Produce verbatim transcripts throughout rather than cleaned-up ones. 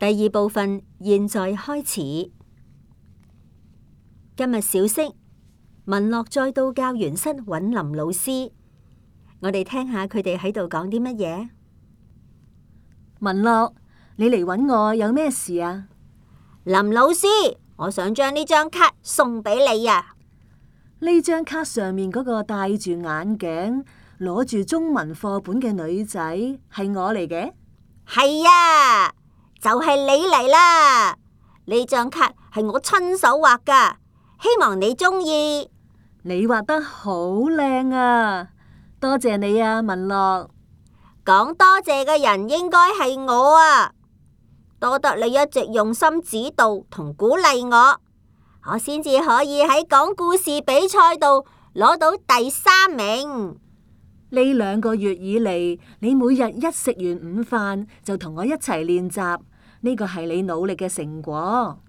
第二部分現在開始。今日小息，文樂再到教員室揾林老師，我哋聽下佢哋喺度講啲乜嘢。文樂，你嚟揾我有咩事啊？林老師，我想將呢張卡送俾你啊！呢張卡上面嗰個戴住眼鏡、攞住中文課本嘅女仔係我嚟嘅？係啊，就係你嚟啦！呢張卡係我親手畫噶，希望你中意。你畫得好靚啊！多謝你啊，文樂。講多謝嘅人應該係我啊！多得你一直用心指導同鼓勵我，我先至可以喺講故事比賽度攞到第三名。呢兩個月以嚟，你每日一食完午飯就同我一齊練習，呢個係你努力嘅成果。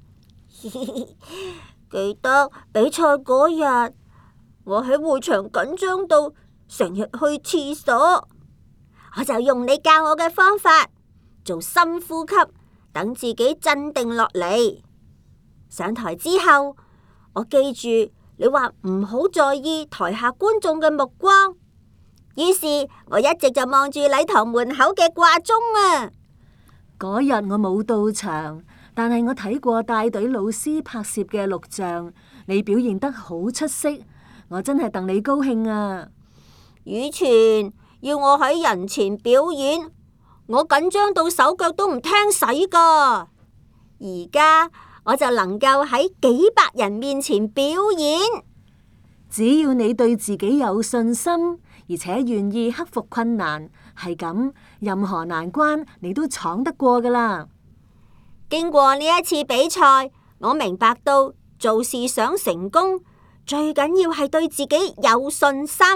記得比賽嗰日，我喺會場緊張到成日去廁所，我就用你教我嘅方法做深呼吸，等自己鎮定落嚟。上台之後，我記住你話唔好在意台下觀眾嘅目光，於是我一直就望住禮堂門口嘅掛鐘啊。嗰日我冇到場，但係我睇過帶隊老師拍攝嘅錄像，你表現得好出色，我真係戥你高興啊！以前要我喺人前表演，我緊張到手腳都唔聽使噶。而家我就能夠喺幾百人面前表演。只要你對自己有信心，而且願意克服困難，係咁，任何難關你都闖得過噶啦。經過呢一次比賽，我明白到做事想成功，最緊要係對自己有信心。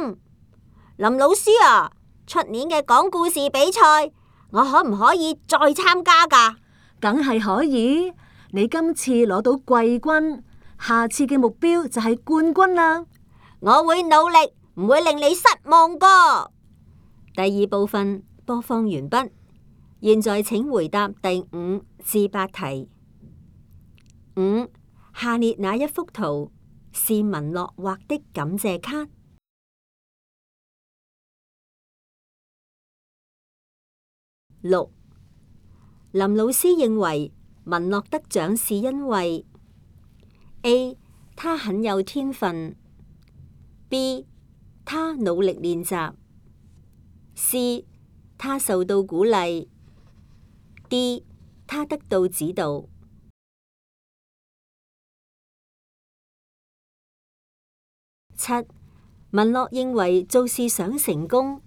林老師啊，出年嘅講故事比賽，我可唔可以再參加噶？梗係可以，你今次攞到季軍，下次嘅目標就係冠軍啦。我會努力，唔會令你失望噶。第二部分播放完畢，現在請回答第五至八題。五，下列哪一幅圖是文樂畫的感謝卡？六，林老師認為文樂得獎是因為 A. 他很有天分， B. 他努力練習， C. 他受到鼓勵， D. 他得到指導。七，文樂認為做事想成功，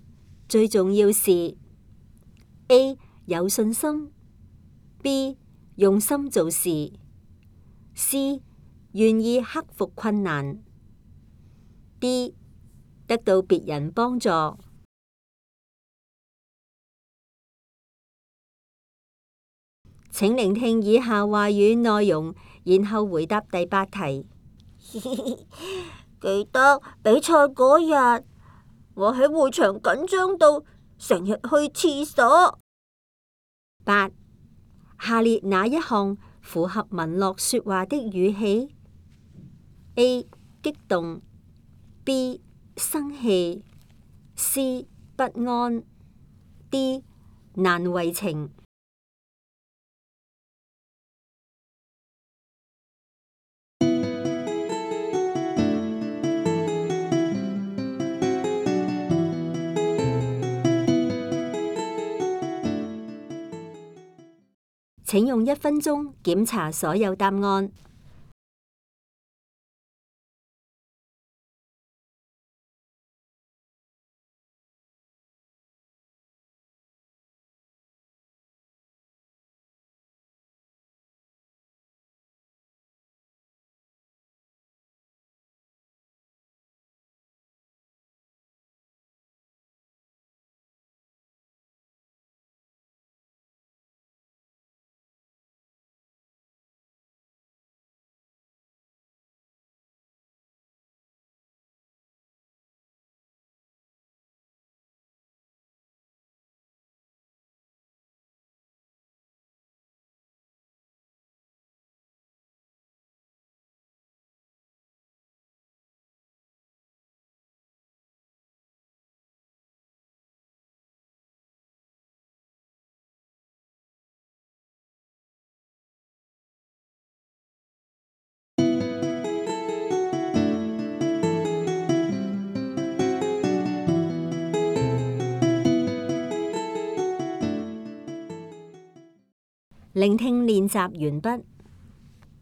最重要是 A. 有信心， B. 用心做事， C. 願意克服困難， D. 得到別人幫助。請聆聽以下話語內容，然後回答第八題。記得比賽嗰日，我喺會場緊張到成日去廁所。八，下列哪一項符合文樂說話的語氣 ？A. 激動， B. 生氣， C. 不安， D. 難為情。請用一分鐘檢查所有答案。聆聽練習完畢。